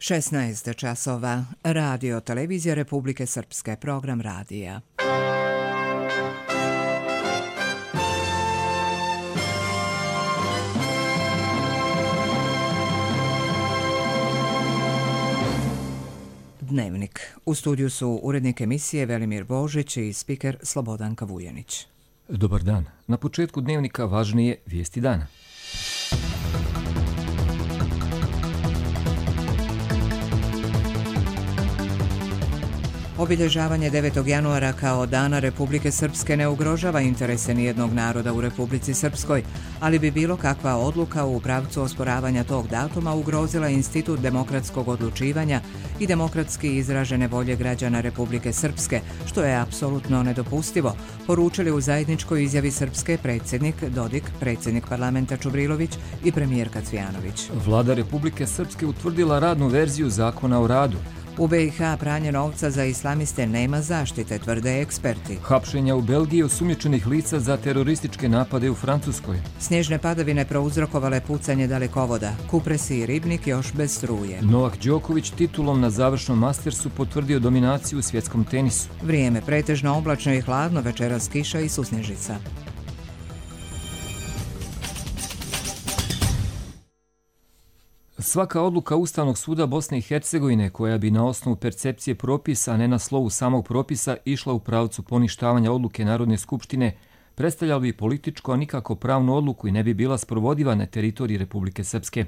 16 časova. Radio Televizija Republike Srpske. Program radija. Dnevnik. U studiju su urednik emisije Velimir Božić i spiker Slobodanka Vujanić. Dobar dan. Na početku dnevnika važnije vijesti dana. Obilježavanje 9. januara kao Dana Republike Srpske ne ugrožava interese nijednog naroda u Republici Srpskoj, ali bi bilo kakva odluka u pravcu osporavanja tog datuma ugrozila institut demokratskog odlučivanja i demokratski izražene volje građana Republike Srpske, što je apsolutno nedopustivo, poručili u zajedničkoj izjavi Srpske predsjednik Dodik, predsjednik parlamenta Čubrilović i premijerka Cvijanović. Vlada Republike Srpske utvrdila radnu verziju zakona o radu. U BiH pranje novca za islamiste nema zaštite, tvrde eksperti. Hapšenja u Belgiji osumnjičenih lica za terorističke napade u Francuskoj. Snježne padavine prouzrokovale pucanje dalekovoda. Kupresi i Ribnik još bez struje. Novak Đoković titulom na završnom Mastersu potvrdio dominaciju u svjetskom tenisu. Vrijeme pretežno oblačno i hladno, večeras kiša i susnježica. Svaka odluka Ustavnog suda Bosne i Hercegovine koja bi na osnovu percepcije propisa, a ne na slovu samog propisa, išla u pravcu poništavanja odluke Narodne skupštine, predstavljala bi političku, a nikako pravnu odluku i ne bi bila sprovodiva na teritoriji Republike Srpske.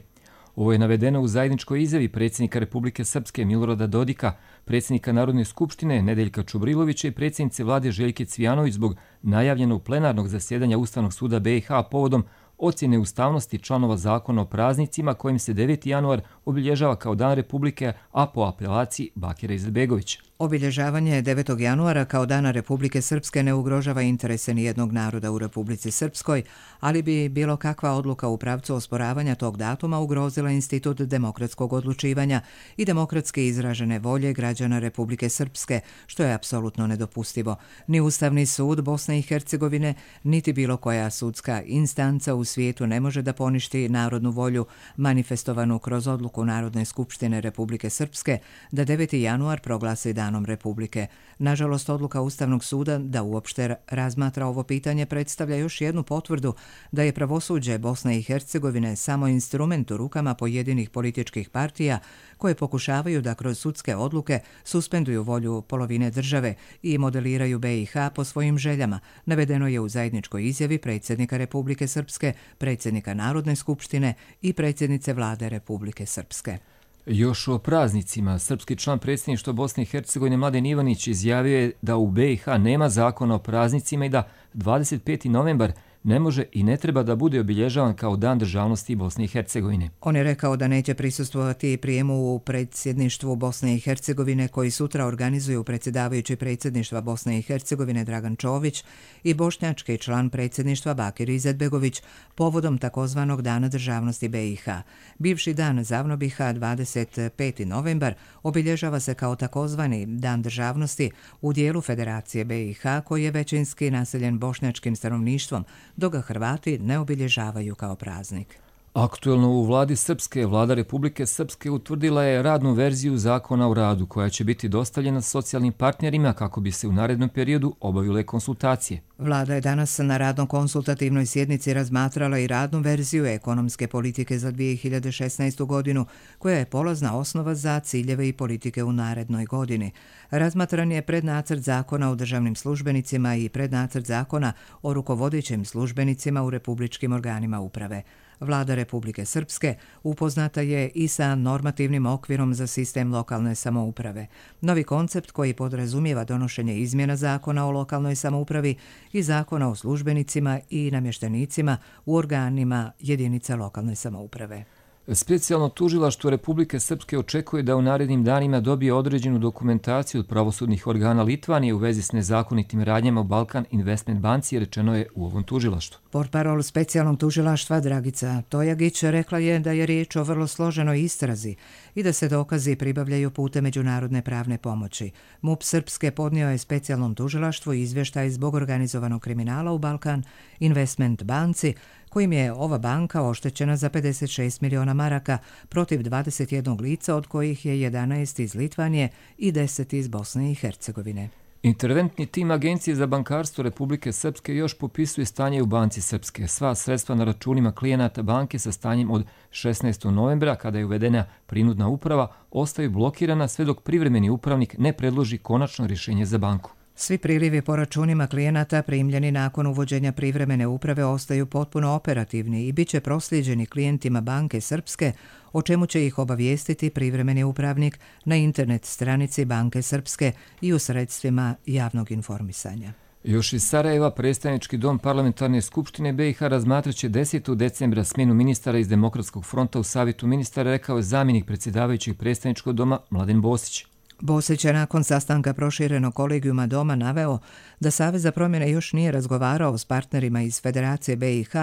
Ovo je navedeno u zajedničkoj izjavi predsjednika Republike Srpske Milorada Dodika, predsjednika Narodne skupštine Nedeljka Čubrilovića i predsjednice vlade Željke Cvijanović zbog najavljenog plenarnog zasjedanja Ustavnog suda BiH povodom ocjene ustavnosti članova zakona o praznicima kojim se 9. januar obilježava kao Dan Republike, a po apelaciji Bakira Izetbegovića. Obilježavanje 9. januara kao Dana Republike Srpske ne ugrožava interese nijednog naroda u Republici Srpskoj, ali bi bilo kakva odluka u pravcu osporavanja tog datuma ugrozila institut demokratskog odlučivanja i demokratski izražene volje građana Republike Srpske, što je apsolutno nedopustivo. Ni Ustavni sud Bosne i Hercegovine, niti bilo koja sudska instanca u svijetu ne može da poništi narodnu volju manifestovanu kroz odluku Narodne skupštine Republike Srpske da 9. januar proglasi Danom Republike. Nažalost, odluka Ustavnog suda da uopšte razmatra ovo pitanje predstavlja još jednu potvrdu da je pravosuđe Bosne i Hercegovine samo instrument u rukama pojedinih političkih partija koje pokušavaju da kroz sudske odluke suspenduju volju polovine države i modeliraju BiH po svojim željama, navedeno je u zajedničkoj izjavi predsjednika Republike Srpske, predsjednika Narodne skupštine i predsjednice vlade Republike Srpske. Još o praznicima, srpski član predsjedništva Bosne i Hercegovine Mladen Ivanić izjavio je da u BiH nema zakona o praznicima i da 25. novembar ne može i ne treba da bude obilježavan kao Dan državnosti Bosne i Hercegovine. On je rekao da neće prisustvovati prijemu u predsjedništvu Bosne i Hercegovine koji sutra organizuju predsjedavajući predsjedništva Bosne i Hercegovine Dragan Čović i bošnjački član predsjedništva Bakir Izetbegović povodom takozvanog Dana državnosti BiH. Bivši dan Zavno BiH 25. novembar obilježava se kao takozvani Dan državnosti u dijelu Federacije BiH koji je većinski naseljen bošnjačkim stanovništvom, dok ga Hrvati ne obilježavaju kao praznik. Aktuelno u vladi Srpske, vlada Republike Srpske utvrdila je radnu verziju zakona o radu koja će biti dostavljena socijalnim partnerima kako bi se u narednom periodu obavile konsultacije. Vlada je danas na radno-konsultativnoj sjednici razmatrala i radnu verziju ekonomske politike za 2016. godinu, koja je polazna osnova za ciljeve i politike u narednoj godini. Razmatran je prednacrt zakona o državnim službenicima i prednacrt zakona o rukovodećim službenicima u republičkim organima uprave. Vlada Republike Srpske upoznata je i sa normativnim okvirom za sistem lokalne samouprave. Novi koncept koji podrazumijeva donošenje izmjena zakona o lokalnoj samoupravi i zakona o službenicima i namještenicima u organima jedinica lokalne samouprave. Specijalno tužilaštvo Republike Srpske očekuje da u narednim danima dobije određenu dokumentaciju od pravosudnih organa Litvanije u vezi s nezakonitim radnjama u Balkan Investment banci, rečeno je u ovom tužilaštvu. Portparol specijalnog tužilaštva Dragica Tojagić rekla je da je riječ o vrlo složenoj istrazi i da se dokazi pribavljaju putem međunarodne pravne pomoći. MUP Srpske podnio je specijalnom tužilaštvu izvještaj zbog organizovanog kriminala u Balkan Investment banci kojim je ova banka oštećena za 56 miliona maraka protiv 21 lica, od kojih je 11 iz Litvanije i 10 iz Bosne i Hercegovine. Interventni tim Agencije za bankarstvo Republike Srpske još popisuje stanje u Banci Srpske. Sva sredstva na računima klijenata banke sa stanjem od 16. novembra, kada je uvedena prinudna uprava, ostaju blokirana sve dok privremeni upravnik ne predloži konačno rješenje za banku. Svi prilivi po računima klijenata primljeni nakon uvođenja privremene uprave ostaju potpuno operativni i bit će proslijeđeni klijentima Banke Srpske, o čemu će ih obavijestiti privremeni upravnik na internet stranici Banke Srpske i u sredstvima javnog informisanja. Još iz Sarajeva predstavnički dom Parlamentarne skupštine BiH razmatraće 10. decembra smjenu ministara iz Demokratskog fronta u Savjetu ministara, rekao je zamjenik predsjedavajućeg predstavničkog doma Mladen Bosić. Bosić je nakon sastanka proširenog kolegijuma doma naveo da Savez za promjene još nije razgovarao s partnerima iz Federacije BiH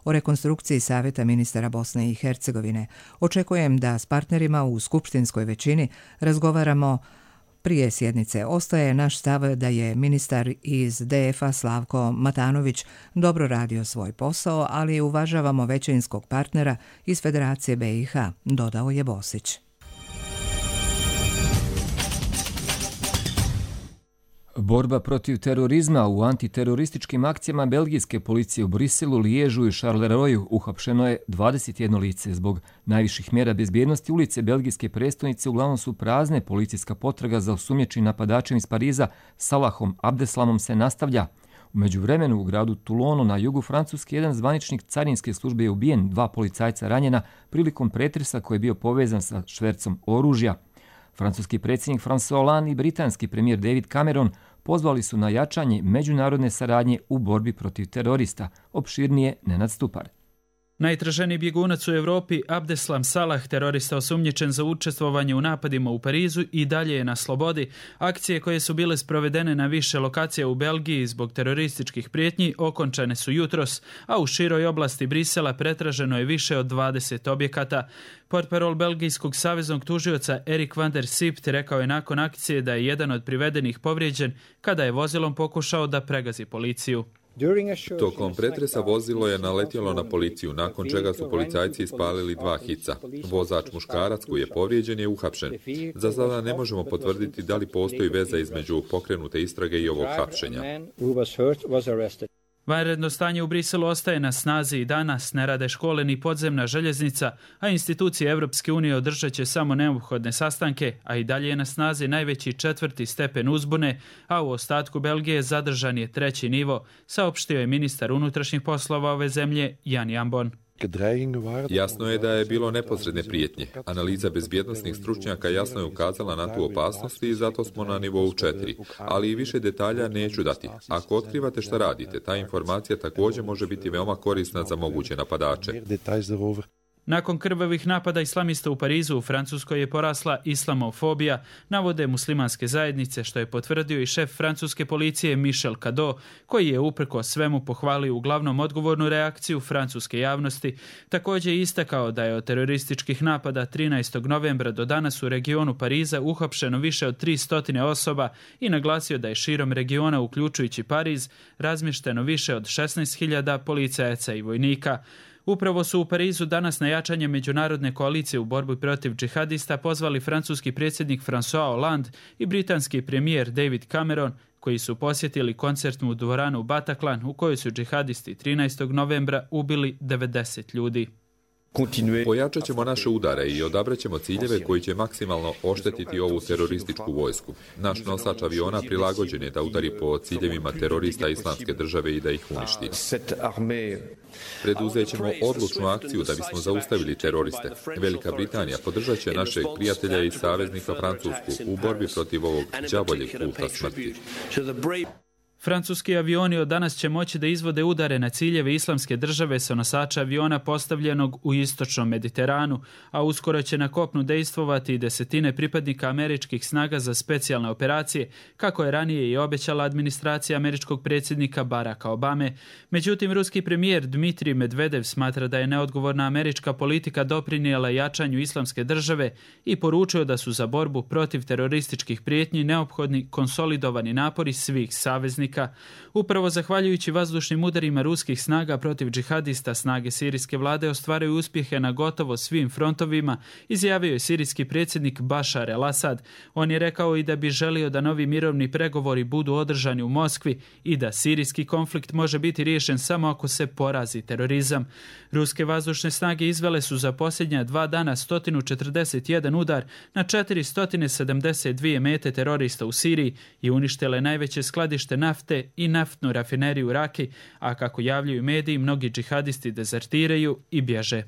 o rekonstrukciji Savjeta ministara Bosne i Hercegovine. Očekujem da s partnerima u skupštinskoj većini razgovaramo prije sjednice. Ostaje naš stav da je ministar iz DF-a Slavko Matanović dobro radio svoj posao, ali uvažavamo većinskog partnera iz Federacije BiH, dodao je Bosić. Borba protiv terorizma. U antiterorističkim akcijama belgijske policije u Briselu, Liježu i Charleroi uhapšeno je 21 lice. Zbog najviših mjera bezbjednosti ulice belgijske prestonice uglavnom su prazne. Policijska potraga za osumnjičenim napadačem iz Pariza Salahom Abdeslamom se nastavlja. U međuvremenu u gradu Toulonu na jugu Francuske jedan zvaničnik carinske službe je ubijen, 2 policajca ranjena prilikom pretresa koji je bio povezan sa švercom oružja. Francuski predsjednik François Hollande i britanski premijer David Cameron pozvali su na jačanje međunarodne saradnje u borbi protiv terorista. Opširnije Nenad Stupar. Najtraženiji bjegunac u Europi, Abdeslam Salah, terorista osumnjičen za učestvovanje u napadima u Parizu, i dalje je na slobodi. Akcije koje su bile sprovedene na više lokacija u Belgiji zbog terorističkih prijetnji okončane su jutros, a u široj oblasti Brisela pretraženo je više od 20 objekata. Portparol belgijskog saveznog tužioca Erik van der Sipt rekao je nakon akcije da je jedan od privedenih povrijeđen kada je vozilom pokušao da pregazi policiju. Tokom pretresa vozilo je naletjelo na policiju, nakon čega su policajci ispalili 2 hica. Vozač muškarac koji je povrijeđen je uhapšen. Za sada ne možemo potvrditi da li postoji veza između pokrenute istrage i ovog hapšenja. Vanredno stanje u Briselu ostaje na snazi i danas, ne rade škole ni podzemna željeznica, a institucije Europske unije održat će samo neophodne sastanke, a i dalje je na snazi najveći 4. stepen uzbune, a u ostatku Belgije zadržan je 3. nivo, saopštio je ministar unutrašnjih poslova ove zemlje Jan Jambon. Jasno je da je bilo neposredne prijetnje. Analiza bezbjednosnih stručnjaka jasno je ukazala na tu opasnost i zato smo na nivou 4. Ali i više detalja neću dati. Ako otkrivate šta radite, ta informacija također može biti veoma korisna za moguće napadače. Nakon krvavih napada islamista u Parizu, u Francuskoj je porasla islamofobija, navode muslimanske zajednice, što je potvrdio i šef francuske policije Michel Cadot, koji je uprkos svemu pohvalio uglavnom odgovornu reakciju francuske javnosti. Također je istakao da je od terorističkih napada 13. novembra do danas u regionu Pariza uhapšeno više od 300 osoba i naglasio da je širom regiona, uključujući Pariz, razmješteno više od 16.000 policajaca i vojnika. Upravo su u Parizu danas na jačanje međunarodne koalicije u borbi protiv džihadista pozvali francuski predsjednik François Hollande i britanski premijer David Cameron, koji su posjetili koncertnu dvoranu Bataclan u kojoj su džihadisti 13. novembra ubili 90 ljudi. Pojačat ćemo naše udare i odabrat ćemo ciljeve koji će maksimalno oštetiti ovu terorističku vojsku. Naš nosač aviona prilagođen je da udari po ciljevima terorista Islamske države i da ih uništi. Preduzet ćemo odlučnu akciju da bismo zaustavili teroriste. Velika Britanija podržat će našeg prijatelja i saveznika Francusku u borbi protiv ovog đavoljeg kulta smrti. Francuski avioni od danas će moći da izvode udare na ciljeve Islamske države sa nosača aviona postavljenog u istočnom Mediteranu, a uskoro će na kopnu dejstvovati i desetine pripadnika američkih snaga za specijalne operacije, kako je ranije i obećala administracija američkog predsjednika Baracka Obame. Međutim, ruski premijer Dmitrij Medvedev smatra da je neodgovorna američka politika doprinijela jačanju Islamske države i poručio da su za borbu protiv terorističkih prijetnji neophodni konsolidovani napori svih saveznika. protivnika. Upravo zahvaljujući vazdušnim udarima ruskih snaga protiv džihadista, snage sirijske vlade ostvaruju uspjehe na gotovo svim frontovima, izjavio je sirijski predsjednik Bašar el-Asad. On je rekao i da bi želio da novi mirovni pregovori budu održani u Moskvi i da sirijski konflikt može biti riješen samo ako se porazi terorizam. Ruske vazdušne snage izvele su za posljednja 2 dana 141 udar na 472 mete terorista u Siriji i uništile najveće skladište nafte i naftnu rafineriju Raki, a kako javljaju mediji, mnogi džihadisti dezertiraju i bježe.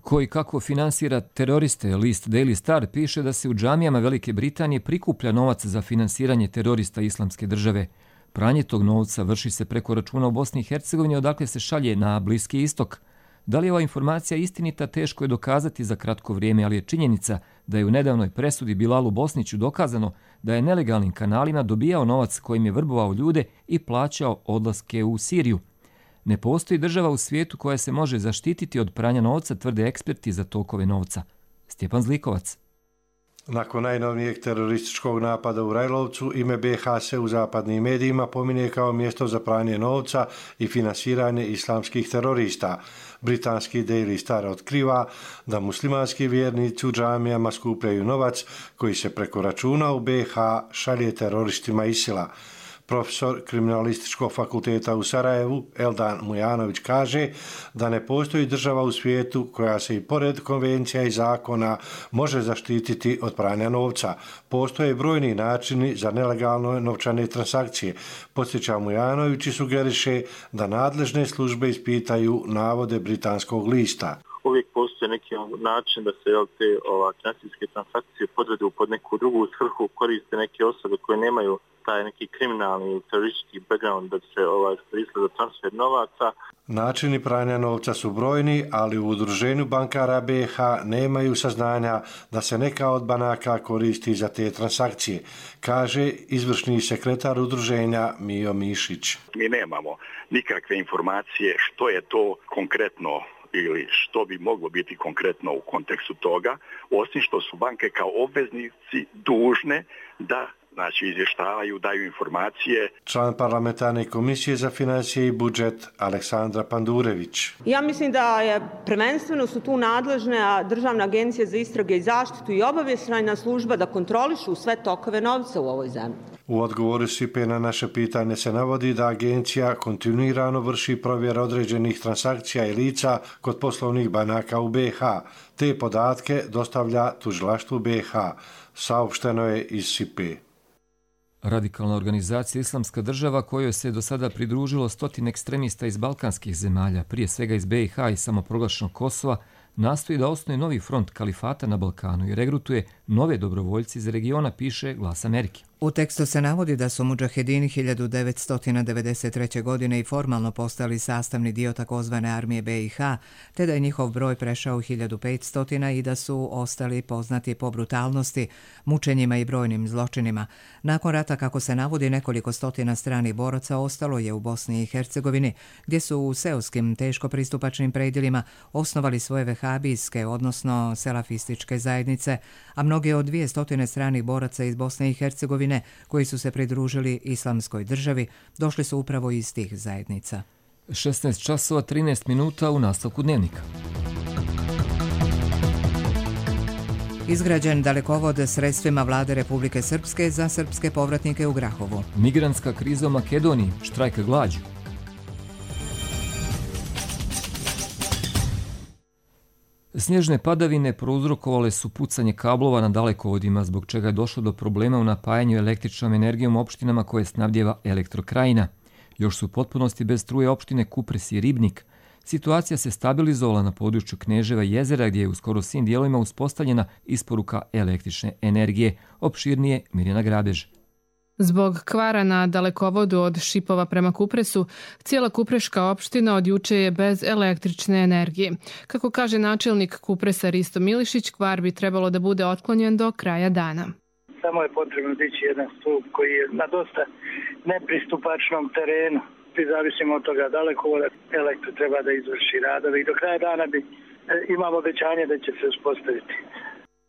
Koji kako finansira teroriste, list Daily Star piše da se u džamijama Velike Britanije prikuplja novac za finansiranje terorista Islamske države. Pranje tog novca vrši se preko računa u Bosni i Hercegovini, odakle se šalje na Bliski istok. Da li je ova informacija istinita, teško je dokazati za kratko vrijeme, ali je činjenica da je u nedavnoj presudi Bilalu Bosniću dokazano da je nelegalnim kanalima dobijao novac kojim je vrbovao ljude i plaćao odlaske u Siriju. Ne postoji država u svijetu koja se može zaštititi od pranja novca, tvrde eksperti za tokove novca. Stjepan Zlikovac. Nakon najnovijeg terorističkog napada u Rajlovcu, ime BiH se u zapadnim medijima pominje kao mjesto za pranje novca i finansiranje islamskih terorista. Britanski Daily Star otkriva da muslimanski vjernici u džamijama skupljaju novac koji se preko računa u BiH šalje teroristima ISIL-a. Profesor Kriminalističkog fakulteta u Sarajevu, Eldan Mujanović, kaže da ne postoji država u svijetu koja se i pored konvencija i zakona može zaštititi od pranja novca. Postoje brojni načini za nelegalne novčane transakcije. Podsjeća Mujanović i sugeriše da nadležne službe ispitaju navode britanskog lista. Uvijek postoji neki način da se te financijske transakcije podvedu pod neku drugu svrhu, koriste neke osobe koje nemaju taj neki kriminalni teroristički background da se koriste za transfer novaca. Načini pranja novca su brojni, ali u udruženju bankara BiH nemaju saznanja da se neka od banaka koristi za te transakcije, kaže izvršni sekretar udruženja Mijo Mišić. Mi nemamo nikakve informacije što je to konkretno ili što bi moglo biti konkretno u kontekstu toga, osim što su banke kao obveznici dužne da izvještavaju, daju informacije. Član parlamentarne komisije za financije i budžet Aleksandra Pandurević. Ja mislim da je prvenstveno su tu nadležne Državna agencija za istrage i zaštitu i obavještajna služba da kontrolišu sve tokove novca u ovoj zemlji. U odgovoru Sipe na naše pitanje se navodi da agencija kontinuirano vrši provjer određenih transakcija i lica kod poslovnih banaka u BiH. Te podatke dostavlja tužilaštvu BiH. Saopšteno je iz Sipe. Radikalna organizacija Islamska država, kojoj se do sada pridružilo 100 ekstremista iz balkanskih zemalja, prije svega iz BiH i samoproglašenog Kosova, nastoji da osnuje novi front kalifata na Balkanu i regrutuje nove dobrovoljci iz regiona, piše Glas Amerike. U tekstu se navodi da su mudžahedini 1993. godine i formalno postali sastavni dio takozvane armije BiH, te da je njihov broj prešao 1500 i da su ostali poznati po brutalnosti, mučenjima i brojnim zločinima. Nakon rata, kako se navodi, nekoliko stotina stranih boraca ostalo je u Bosni i Hercegovini, gdje su u seoskim teško pristupačnim predjelima osnovali svoje vehabijske, odnosno selafističke zajednice, a mnogi od 200 stranih boraca iz Bosne i Hercegovine koji su se pridružili Islamskoj državi došli su upravo iz tih zajednica. 16 časova 13 minuta u nastavku dnevnika. Izgrađen dalekovod sredstvima vlade Republike Srpske za srpske povratnike u Grahovu. Migrantska kriza u Makedoniji, štrajk glađu. Snježne padavine prouzrokovale su pucanje kablova na dalekovodima, zbog čega je došlo do problema u napajanju električnom energijom opštinama koje snabdjeva Elektrokrajina. Još su u potpunosti bez struje opštine Kupres i Ribnik. Situacija se stabilizovala na području Kneževa i Jezera, gdje je u skoro svim dijelovima uspostavljena isporuka električne energije. Opširnije Mirjana Grabež. Zbog kvara na dalekovodu od Šipova prema Kupresu, cijela Kupreška opština od juče je bez električne energije. Kako kaže načelnik Kupresa Risto Milišić, kvar bi trebalo da bude otklonjen do kraja dana. Samo je potrebno dići jedan stup koji je na dosta nepristupačnom terenu. Zavisimo od toga dalekovoda, elektro treba da izvrši radove i do kraja dana imamo obećanje da će se uspostaviti.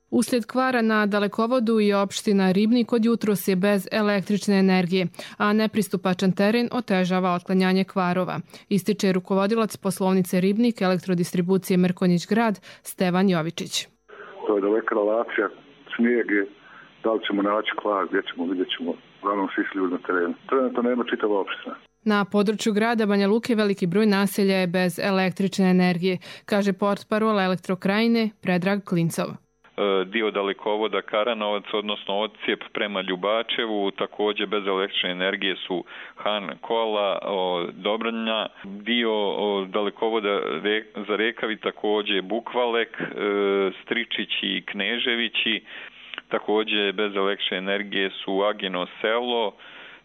Uslijed kvara na dalekovodu i opština Ribnik od jutros je bez električne energije, a nepristupačan teren otežava otklanjanje kvarova. Ističe rukovodilac poslovnice Ribnik elektrodistribucije Mrkonjić grad Stevan Jovičić. To je daleka relacija snijege, da li ćemo naći kvar, gdje ćemo, vidjet ćemo, uglavnom svi ljudi na terenu. Trenutno nema čitava opština. Na području grada Banja Luke veliki broj naselja je bez električne energije, kaže portparol Elektrokrajine Predrag Klincov. Dio dalekovoda Karanovac, odnosno odsjep prema Ljubačevu, također bez električne energije su Han Kola, Dobranja, dio dalekovoda za Rekavi također Bukvalek, Stričići i Kneževići, također bez električne energije su Agino selo,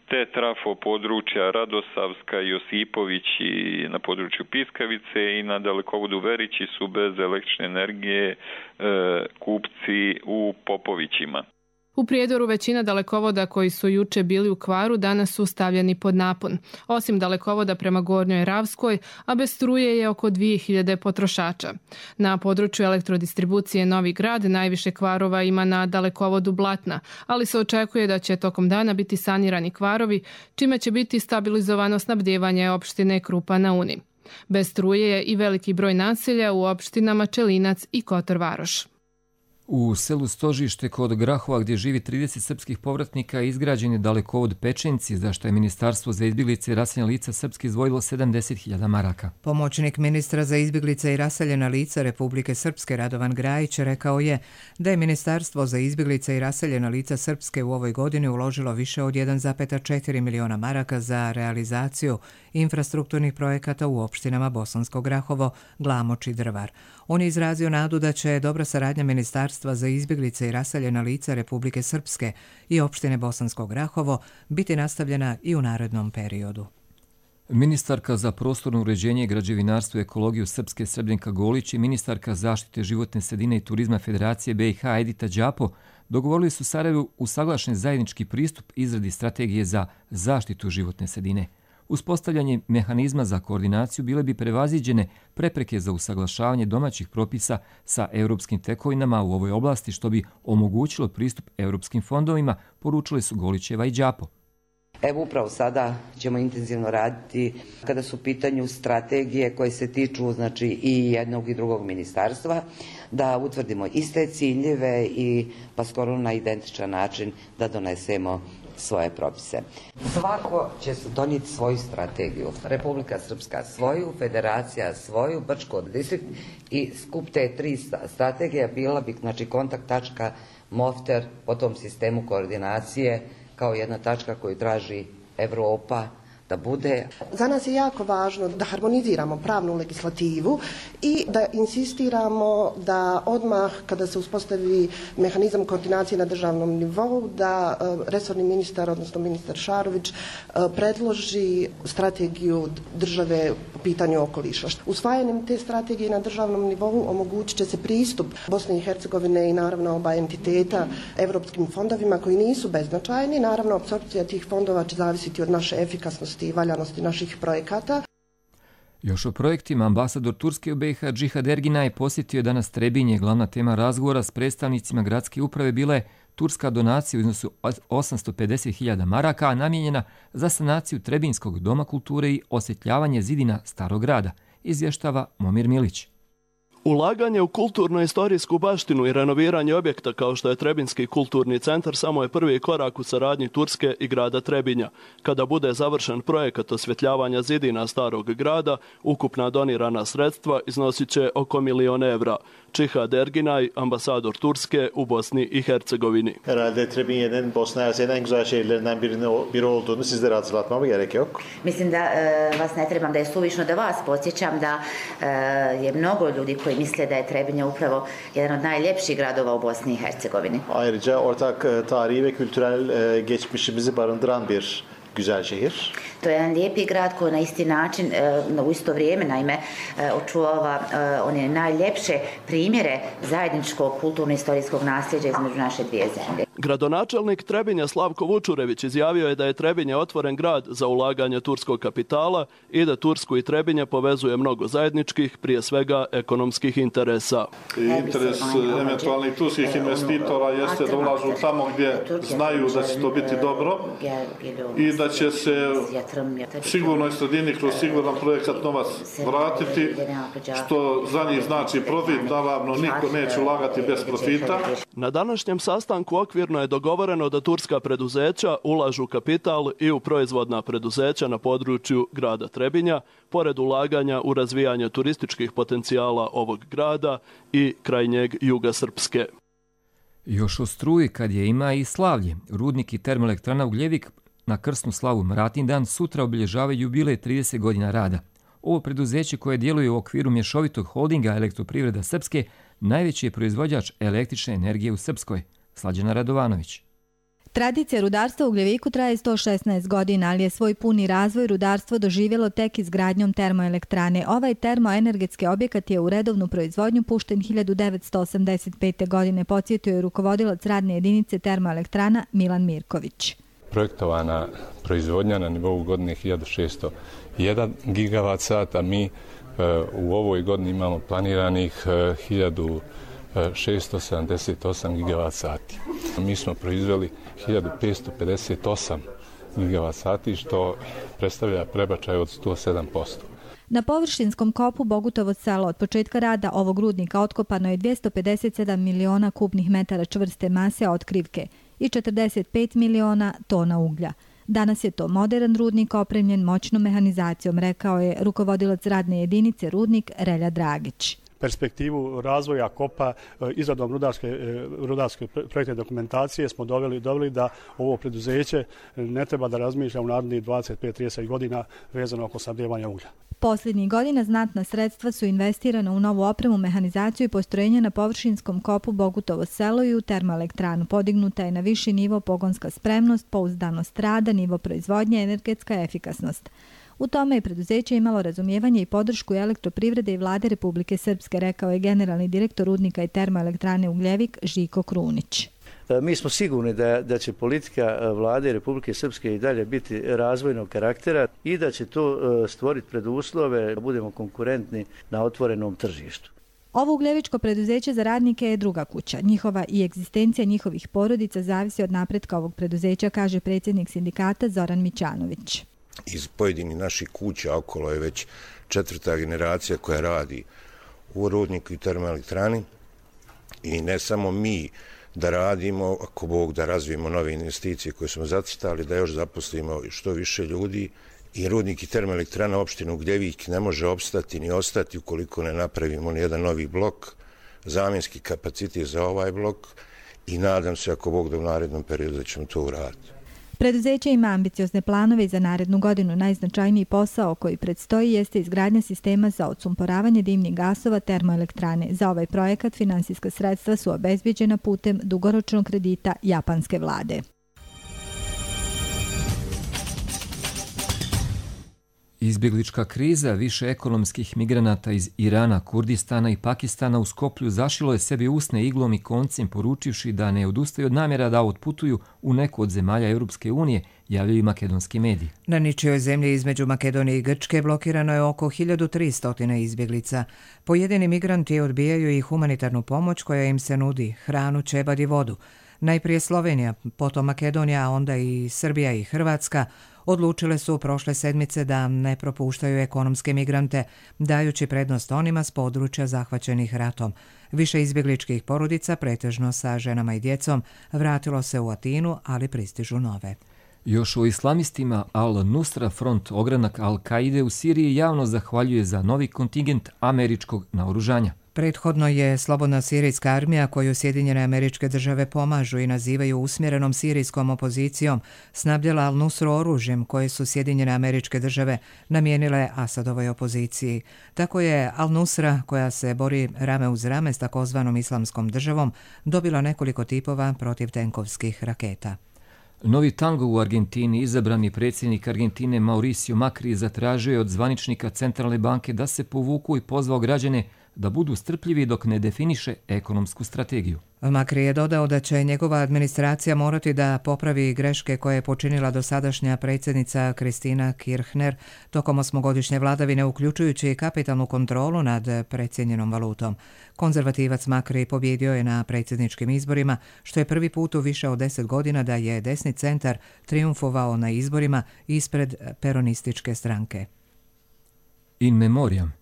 te trafo područja Radosavska i Josipovići na području Piskavice i na dalekovodu Verići su bez električne energije kupci u Popovićima. U Prijedoru većina dalekovoda koji su juče bili u kvaru danas su stavljeni pod napon. Osim dalekovoda prema Gornjoj Ravskoj, a bez struje je oko 2000 potrošača. Na području elektrodistribucije Novi Grad najviše kvarova ima na dalekovodu Blatna, ali se očekuje da će tokom dana biti sanirani kvarovi, čime će biti stabilizovano snabdijevanje opštine Krupa na Uni. Bez struje je i veliki broj naselja u opštinama Čelinac i Kotor Varoš. U selu Stožište kod Grahova, gdje živi 30 srpskih povratnika, izgrađen je dalekovod Pečenci, za što je Ministarstvo za izbjeglice i raseljena lica srpski izdvojilo 70.000 maraka. Pomoćnik ministra za izbjeglice i raseljena lica Republike Srpske Radovan Grajić rekao je da je Ministarstvo za izbjeglice i raseljena lica Srpske u ovoj godini uložilo više od 1,4 miliona maraka za realizaciju infrastrukturnih projekata u opštinama Bosansko Grahovo, Glamoč i Drvar. On je izrazio nadu da će dobra saradnja Ministarstva za izbjeglice i raseljena lica Republike Srpske i opštine Bosansko Grahovo biti nastavljena i u narednom periodu. Ministarka za prostorno uređenje, građevinarstvo i ekologiju Srpske Srebrnjka Golić i ministarka zaštite životne sredine i turizma Federacije BiH Edita Đapo dogovorili su Sarajevu usaglašen zajednički pristup izradi strategije za zaštitu životne sredine. Uspostavljanje mehanizma za koordinaciju bile bi prevaziđene prepreke za usaglašavanje domaćih propisa sa europskim tekovinama u ovoj oblasti, što bi omogućilo pristup europskim fondovima, poručili su Golićeva i Đapo. Evo upravo sada ćemo intenzivno raditi kada su u pitanju strategije koje se tiču i jednog i drugog ministarstva, da utvrdimo iste ciljeve i pa skoro na identičan način da donesemo svoje propise. Svako će donijeti svoju strategiju. Republika Srpska svoju, Federacija svoju, Brčko distrikt i skup te tri strategije bila bi kontakt tačka Mofter po tom sistemu koordinacije kao jedna tačka koju traži Evropa da bude. Za nas je jako važno da harmoniziramo pravnu legislativu i da insistiramo da odmah kada se uspostavi mehanizam koordinacije na državnom nivou, da resorni ministar, odnosno ministar Šarović, predloži strategiju države po pitanju okoliša. Usvajanjem te strategije na državnom nivou omogućit će se pristup Bosne i Hercegovine i naravno oba entiteta evropskim fondovima koji nisu beznačajni. Naravno, apsorpcija tih fondova će zavisiti od naše efikasnosti i valjanosti naših projekata. Još o projektima, ambasador Turske u BiH Džihad Erginaj posjetio je danas Trebinje. Glavna tema razgovora s predstavnicima gradske uprave bila je turska donacija u iznosu 850.000 maraka, namijenjena za sanaciju Trebinskog doma kulture i osvjetljavanje zidina Starog grada, izvještava Momir Milić. Ulaganje u kulturno-istorijsku baštinu i renoviranje objekta kao što je Trebinski kulturni centar samo je prvi korak u saradnji Turske i grada Trebinja. Kada bude završen projekat osvjetljavanja zidina Starog grada, ukupna donirana sredstva iznosit će oko 1 milion evra. Džihad Erginay, ambasador Turske u Bosni i Hercegovini. Herhalde Trebinje'nin Bosna Hersek'in en güzel şehirlerinden biri olduğunu sizlere hatırlatmama gerek yok. Mislim da vas ne trebam, da je suvišno da vas podsjećam da je mnogo ljudi koji misle da je Trebinje upravo jedan od najljepših gradova u Bosni i Hercegovini. Ayrıca ortak tarihi ve kültürel geçmişimizi barındıran bir güzel šehir. To je jedan lijepi grad koji na isti način, u isto vrijeme, naime, očuvava one najljepše primjere zajedničkog kulturno-istorijskog nasljeđa između naše dvije zemlje. Gradonačelnik Trebinja Slavko Vučurević izjavio je da je Trebinje otvoren grad za ulaganje turskog kapitala i da Tursku i Trebinje povezuje mnogo zajedničkih, prije svega ekonomskih interesa. Interes eventualnih turskih investitora jeste da ulažu tamo gdje znaju da će to biti dobro i da će se sigurnoj sredini kroz siguran projekat novac vratiti, što za njih znači profit, naravno niko neće ulagati bez profita. Na današnjem sastanku okvirno je dogovoreno da turska preduzeća ulažu kapital i u proizvodna preduzeća na području grada Trebinja, pored ulaganja u razvijanje turističkih potencijala ovog grada i krajnjeg juga Srpske. Još o struji kad je ima i slavlje. Rudnik i termoelektrana Ugljevik na krsnu slavu Mratindan sutra obilježavaju jubilej 30 godina rada. Ovo preduzeće koje djeluje u okviru mješovitog holdinga Elektroprivreda Srpske najveći je proizvođač električne energije u Srpskoj. Slađana Radovanović. Tradicija rudarstva u Ugljeviku traje 116 godina, ali je svoj puni razvoj rudarstvo doživjelo tek izgradnjom termoelektrane. Ovaj termoenergetski objekat je u redovnu proizvodnju pušten 1985. godine, podsjetio je rukovodilac radne jedinice termoelektrana Milan Mirković. Projektovana proizvodnja na nivou godine 1601 gigavat sata, mi u ovoj godini imamo planiranih 1678 gigavat sati. Mi smo proizveli 1558 gigavat sati, što predstavlja prebačaj od 107%. Na površinskom kopu Bogutovo selo od početka rada ovog rudnika otkopano je 257 miliona kubnih metara čvrste mase otkrivke i 45 miliona tona uglja. Danas je to modern rudnik opremljen moćnom mehanizacijom, rekao je rukovodilac radne jedinice rudnik Relja Dragić. Perspektivu razvoja kopa izradom rudarske projektne dokumentacije smo doveli da ovo preduzeće ne treba da razmišlja u narednih 25-30 godina vezano oko snabdijevanja uglja. Posljednjih godina znatna sredstva su investirana u novu opremu, mehanizaciju i postrojenja na površinskom kopu Bogutovo selo i u termoelektranu. Podignuta je na viši nivo pogonska spremnost, pouzdanost rada, nivo proizvodnje, energetska efikasnost. U tome je preduzeće imalo razumijevanje i podršku Elektroprivrede i Vlade Republike Srpske, rekao je generalni direktor rudnika i termoelektrane Ugljevik Žiko Krunić. Mi smo sigurni da će politika Vlade Republike Srpske i dalje biti razvojnog karaktera i da će to stvoriti preduslove da budemo konkurentni na otvorenom tržištu. Ovo ugljevičko preduzeće za radnike je druga kuća. Njihova i egzistencija njihovih porodica zavisi od napretka ovog preduzeća, kaže predsjednik sindikata Zoran Mićanović. Iz pojedinih naših kuća okolo je već 4. generacija koja radi u rudniku i termoelektrani i ne samo mi da radimo, ako Bog da razvijemo nove investicije koje smo zacrtali, da još zaposlimo što više ljudi i rudnik i termoelektrana opštine Ugljevik ne može opstati ni ostati ukoliko ne napravimo ni jedan novi blok, zamjenski kapacitet za ovaj blok i nadam se ako Bog da u narednom periodu da ćemo to uraditi. Preduzeće ima ambiciozne planove i za narednu godinu. Najznačajniji posao koji predstoji jeste izgradnja sistema za odsumporavanje dimnih gasova termoelektrane. Za ovaj projekat finansijska sredstva su obezbeđena putem dugoročnog kredita japanske vlade. Izbjeglička kriza više ekonomskih migranata iz Irana, Kurdistana i Pakistana u Skoplju zašilo je sebi usne iglom i koncem, poručivši da ne odustaju od namjera da otputuju u neku od zemalja Europske unije, javljaju makedonski mediji. Na ničijoj zemlji između Makedonije i Grčke blokirano je oko 1300 izbjeglica. Pojedini migranti odbijaju i humanitarnu pomoć koja im se nudi, hranu, ćebad i vodu. Najprije Slovenija, potom Makedonija, a onda i Srbija i Hrvatska odlučile su prošle sedmice da ne propuštaju ekonomske migrante, dajući prednost onima s područja zahvaćenih ratom. Više izbjegličkih porodica, pretežno sa ženama i djecom, vratilo se u Atinu, ali pristižu nove. Još o islamistima Al-Nusra front ogranak Al-Kaide u Siriji javno zahvaljuje za novi kontingent američkog naoružanja. Prethodno je slobodna sirijska armija koju Sjedinjene Američke Države pomažu i nazivaju usmjerenom sirijskom opozicijom snabdjela Al-Nusru oružjem koje su Sjedinjene Američke Države namijenile Asadovoj opoziciji. Tako je Al-Nusra, koja se bori rame uz rame s takozvanom islamskom državom, dobila nekoliko tipova protivtenkovskih raketa. Novi tango u Argentini, izabrani predsjednik Argentine Mauricio Macri zatražio je od zvaničnika Centralne banke da se povuku i pozvao građane da budu strpljivi dok ne definiše ekonomsku strategiju. Makri je dodao da će njegova administracija morati da popravi greške koje je počinila dosadašnja predsjednica Kristina Kirchner tokom 8-godišnje vladavine, uključujući i kapitalnu kontrolu nad precijenjenom valutom. Konzervativac Makri pobjedio je na predsjedničkim izborima, što je prvi put u više od 10 godina da je desni centar triumfovao na izborima ispred peronističke stranke. In memoriam.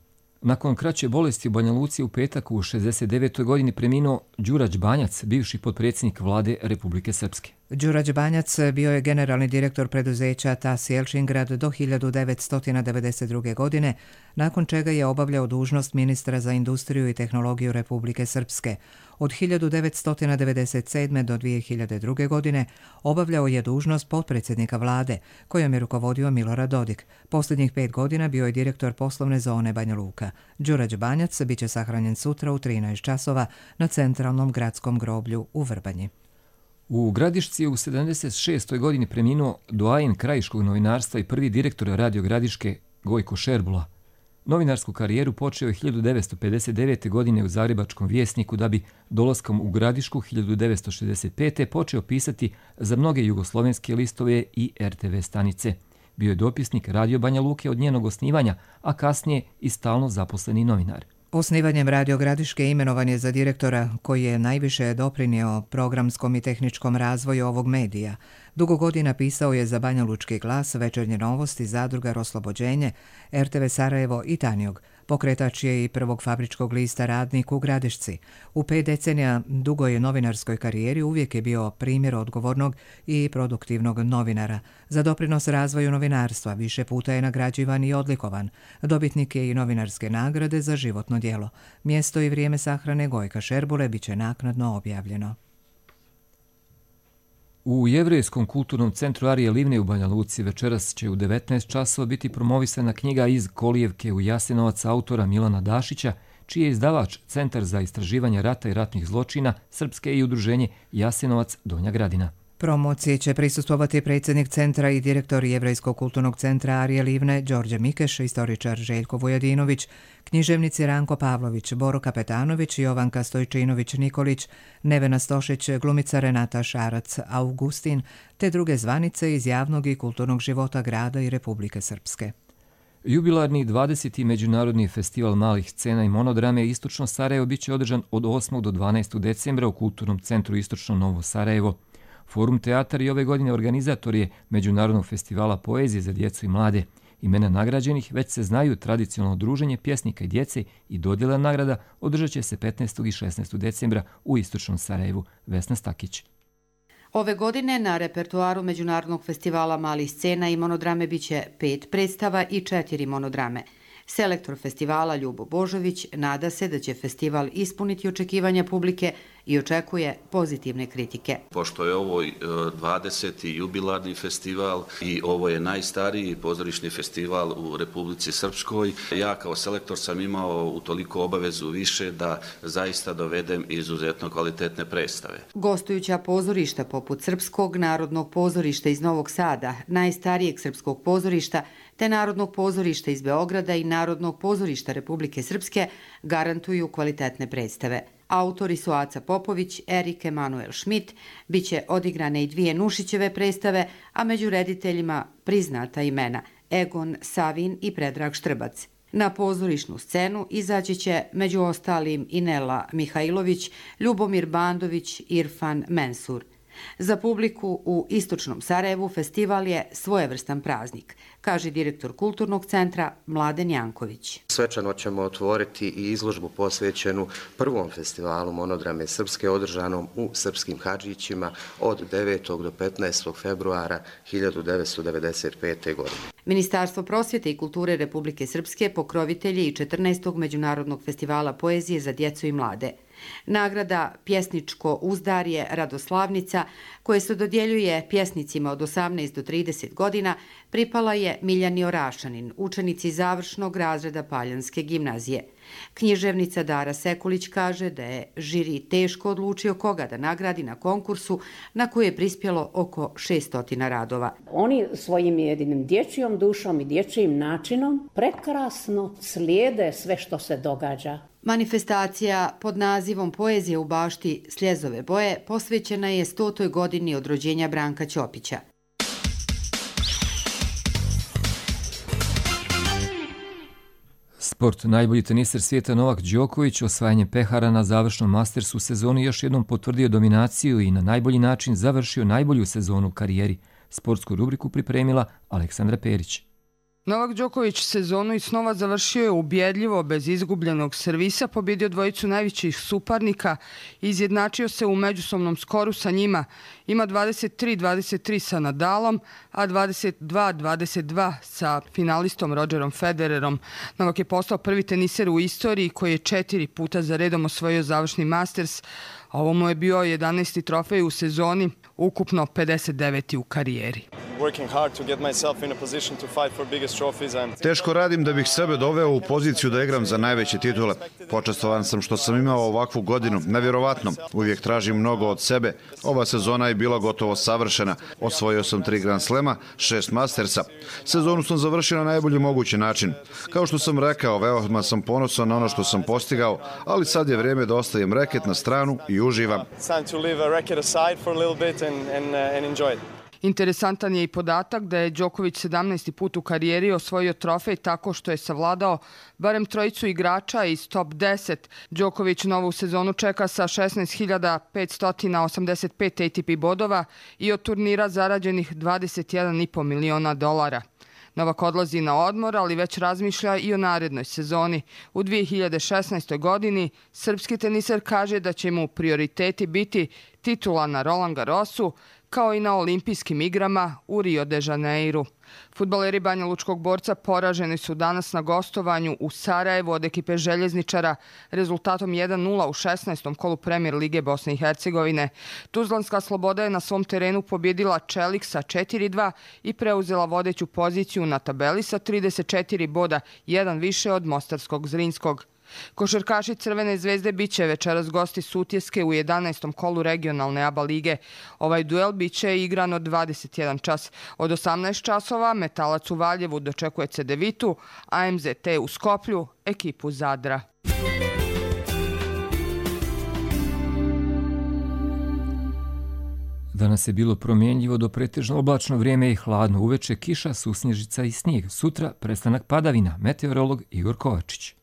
Nakon kraće bolesti u Banja Luci u petak u 69. godini preminuo Đurađ Banjac, bivši potpredsjednik vlade Republike Srpske. Đurađ Banjac bio je generalni direktor preduzeća TAS Jelčingrad do 1992. godine, nakon čega je obavljao dužnost ministra za industriju i tehnologiju Republike Srpske. Od 1997. do 2002. godine obavljao je dužnost potpredsjednika vlade, kojom je rukovodio Milorad Dodik. Posljednjih 5 godina bio je direktor poslovne zone Banja Luka. Đurađ Banjac biće sahranjen sutra u 13 časova na centralnom gradskom groblju u Vrbanji. U Gradišci je u 76. godini preminuo doajen krajiškog novinarstva i prvi direktor Radio Gradiške Gojko Šerbula. Novinarsku karijeru počeo je 1959. godine u Zagrebačkom Vjesniku, da bi dolaskom u Gradišku 1965. počeo pisati za mnoge jugoslovenske listove i RTV stanice. Bio je dopisnik Radio Banja Luke od njenog osnivanja, a kasnije i stalno zaposleni novinar. Osnivanjem Radio Gradiške imenovan je za direktora koji je najviše doprinio programskom i tehničkom razvoju ovog medija. Dugo godina pisao je za Banja Lučki glas, Večernje novosti, Zadrugar Oslobođenje, RTV Sarajevo i Tanjug. Pokretač je i prvog fabričkog lista Radnik u Gradišci. U 5 decenija dugoj novinarskoj karijeri uvijek je bio primjer odgovornog i produktivnog novinara. Za doprinos razvoju novinarstva više puta je nagrađivan i odlikovan. Dobitnik je i novinarske nagrade za životno djelo. Mjesto i vrijeme sahrane Gojka Šerbule biće naknadno objavljeno. U Jevrejskom kulturnom centru Arije Livne u Banja Luci večeras će u 19 časova biti promovisana knjiga Iz kolijevke u Jasenovac autora Milana Dašića, čiji je izdavač Centar za istraživanje rata i ratnih zločina Srpske i udruženje Jasenovac Donja Gradina. Promociji će prisustvovati predsjednik centra i direktor Jevrejskog kulturnog centra Arije Livne Đorđe Mikeš, istoričar Željko Vujadinović, književnici Ranko Pavlović, Boro Kapetanović, Jovanka Stojčinović-Nikolić, Nevena Stošić, glumica Renata Šarac-Augustin, te druge zvanice iz javnog i kulturnog života grada i Republike Srpske. Jubilarni 20. Međunarodni festival malih scena i monodrame Istočno Sarajevo biće održan od 8. do 12. decembra u Kulturnom centru Istočno Novo Sarajevo. Forum Teatar i ove godine organizator je Međunarodnog festivala poezije za djecu i mlade. Imena nagrađenih već se znaju, tradicionalno druženje pjesnika i djece i dodjela nagrada održat će se 15. i 16. decembra u Istočnom Sarajevu. Vesna Stakić. Ove godine na repertoaru Međunarodnog festivala malih scena i monodrame biće 5 predstava i 4 monodrame. Selektor festivala Ljubo Božović nada se da će festival ispuniti očekivanja publike i očekuje pozitivne kritike. Pošto je ovo 20. jubilarni festival i ovo je najstariji pozorišni festival u Republici Srpskoj, ja kao selektor sam imao utoliko obavezu više da zaista dovedem izuzetno kvalitetne predstave. Gostujuća pozorišta poput Srpskog narodnog pozorišta iz Novog Sada, najstarijeg srpskog pozorišta, te Narodnog pozorišta iz Beograda i Narodnog pozorišta Republike Srpske garantuju kvalitetne predstave. Autori su Aca Popović, Erik Emanuel Schmidt, biće odigrane i 2 Nušićeve predstave, a među rediteljima priznata imena Egon Savin i Predrag Štrbac. Na pozorišnu scenu izaći će među ostalim i Nela Mihajlović, Ljubomir Bandović, Irfan Mensur. Za publiku u Istočnom Sarajevu festival je svojevrstan praznik, kaže direktor Kulturnog centra Mladen Janković. Svečano ćemo otvoriti i izložbu posvećenu prvom festivalu monodrame Srpske održanom u Srpskim Hadžićima od 9. do 15. februara 1995. godine. Ministarstvo prosvjete i kulture Republike Srpske pokrovitelji i 14. Međunarodnog festivala poezije za djecu i mlade. Nagrada Pjesničko uzdarje Radoslavnica, koje se dodjeljuje pjesnicima od 18 do 30 godina, pripala je Miljani Orašanin, učenici završnog razreda Paljanske gimnazije. Književnica Dara Sekulić kaže da je žiri teško odlučio koga da nagradi na konkursu na koji je prispjelo oko 600 radova. Oni svojim jedinim dječjom dušom i dječjim načinom prekrasno slijede sve što se događa. Manifestacija pod nazivom Poezija u bašti Sljezove boje posvećena je 100. godini od rođenja Branka Ćopića. Sport. Najbolji teniser svijeta Novak Đoković osvajanjem pehara na završnom Mastersu sezoni još jednom potvrdio dominaciju i na najbolji način završio najbolju sezonu u karijeri. Sportsku rubriku pripremila Aleksandra Perić. Novak Đoković sezonu iz snova završio je ubjedljivo, bez izgubljenog servisa, pobjedio dvojicu najvećih suparnika i izjednačio se u međusobnom skoru sa njima. Ima 23-23 sa Nadalom, a 22-22 sa finalistom Rogerom Federerom. Novak je postao prvi teniser u istoriji koji je 4 puta za redom osvojio završni Masters. Ovo mu je bio 11. trofej u sezoni, ukupno 59. u karijeri. Teško radim da bih sebe doveo u poziciju da igram za najveće titule. Počastovan sam što sam imao ovakvu godinu, nevjerovatno. Uvijek tražim mnogo od sebe. Ova sezona je bila gotovo savršena. Osvojio sam 3 Grand Slema, 6 Mastersa. Sezonu sam završio na najbolji mogući način. Kao što sam rekao, veoma sam ponosan na ono što sam postigao, ali sad je vrijeme da ostavim reket na stranu i uživam. Interesantan je i podatak da je Đoković 17. put u karijeri osvojio trofej tako što je savladao barem trojicu igrača iz top 10. Đoković novu sezonu čeka sa 16.585 ATP bodova i od turnira zarađenih $21,5 miliona. Novak odlazi na odmor, ali već razmišlja i o narednoj sezoni. U 2016. godini srpski teniser kaže da će mu prioriteti biti titula na Roland Garrosu, kao i na olimpijskim igrama u Rio de Janeiru. Fudbaleri Banja Lučkog Borca poraženi su danas na gostovanju u Sarajevu od ekipe Željezničara rezultatom 1-0 u 16. kolu Premier lige Bosne i Hercegovine. Tuzlanska Sloboda je na svom terenu pobjedila Čelik sa 4-2 i preuzela vodeću poziciju na tabeli sa 34 boda, jedan više od mostarskog Zrinskog. Košarkaši Crvene zvezde biće večeras gosti Sutjeske u 11. kolu regionalne ABA lige. Ovaj duel biće igran od 21 čas. Od 18 časova Metalac u Valjevu dočekuje Cedevitu, a MZT u Skoplju ekipu Zadra. Danas je bilo promjenljivo do pretežno oblačno vrijeme i hladno. Uveče kiša, susnježica i snijeg. Sutra prestanak padavina. Meteorolog Igor Kovačić.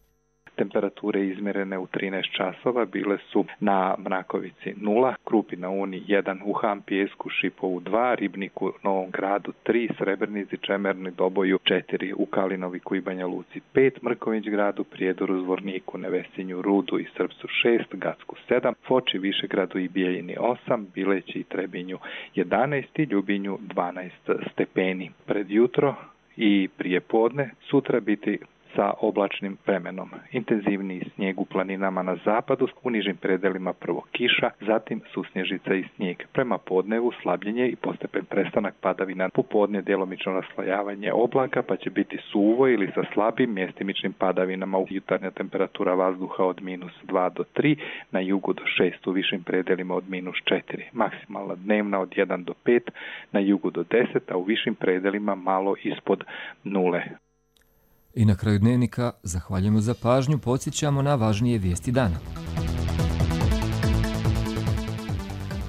Temperature izmjerene u 13 časova bile su na Mrakovici 0, Krupi na Uni 1, u Hampijesku, Šipovu 2, Ribniku, Novom Gradu 3, Srebrnici, Čemerni, Doboju 4, u Kalinoviku i Banja Luci 5, Mrković Gradu, Prijedoru, Zvorniku, Nevesinju, Rudu i Srpcu 6, Gacku 7, Foči, Višegradu i Bijeljini 8, Bileći i Trebinju 11 i Ljubinju 12 stepeni. Pred jutro i prije podne sutra biti sa oblačnim vremenom. Intenzivniji snijeg u planinama na zapadu, u nižim predelima prvo kiša, zatim susnježica i snijeg. Prema podnevu slabljenje i postepen prestanak padavina. Popodne djelomično raslojavanje oblaka, pa će biti suvo ili sa slabim mjestimičnim padavinama. Jutarnja temperatura vazduha od -2 do 3, na jugu do 6, u višim predelima od -4. Maksimalna dnevna od 1 do 5, na jugu do 10, a u višim predelima malo ispod 0. I na kraju dnevnika zahvaljujemo za pažnju, podsjećamo na važnije vijesti dana.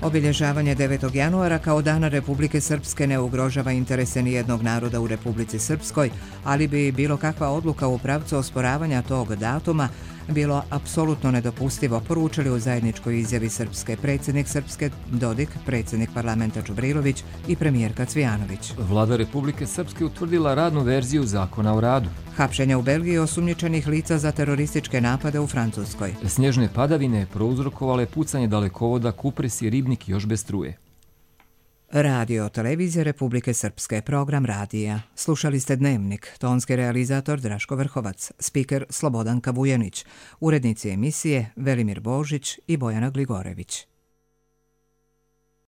Obilježavanje 9. januara kao Dana Republike Srpske ne ugrožava interese nijednog naroda u Republici Srpskoj, ali bi bilo kakva odluka u pravcu osporavanja tog datuma bilo apsolutno nedopustivo, poručili u zajedničkoj izjavi Srpske predsjednik Srpske Dodik, predsjednik parlamenta Čubrilović i premijerka Cvijanović. Vlada Republike Srpske utvrdila radnu verziju zakona o radu. Hapšenja u Belgiji osumnjičenih lica za terorističke napade u Francuskoj. Snježne padavine prouzrokovale pucanje dalekovoda Kupres i Ribnik još bez struje. Radio Televizija Republike Srpske, program radija. Slušali ste Dnevnik, tonski realizator Draško Vrhovac, spiker Slobodanka Vujanić, urednici emisije Velimir Božić i Bojana Gligorević.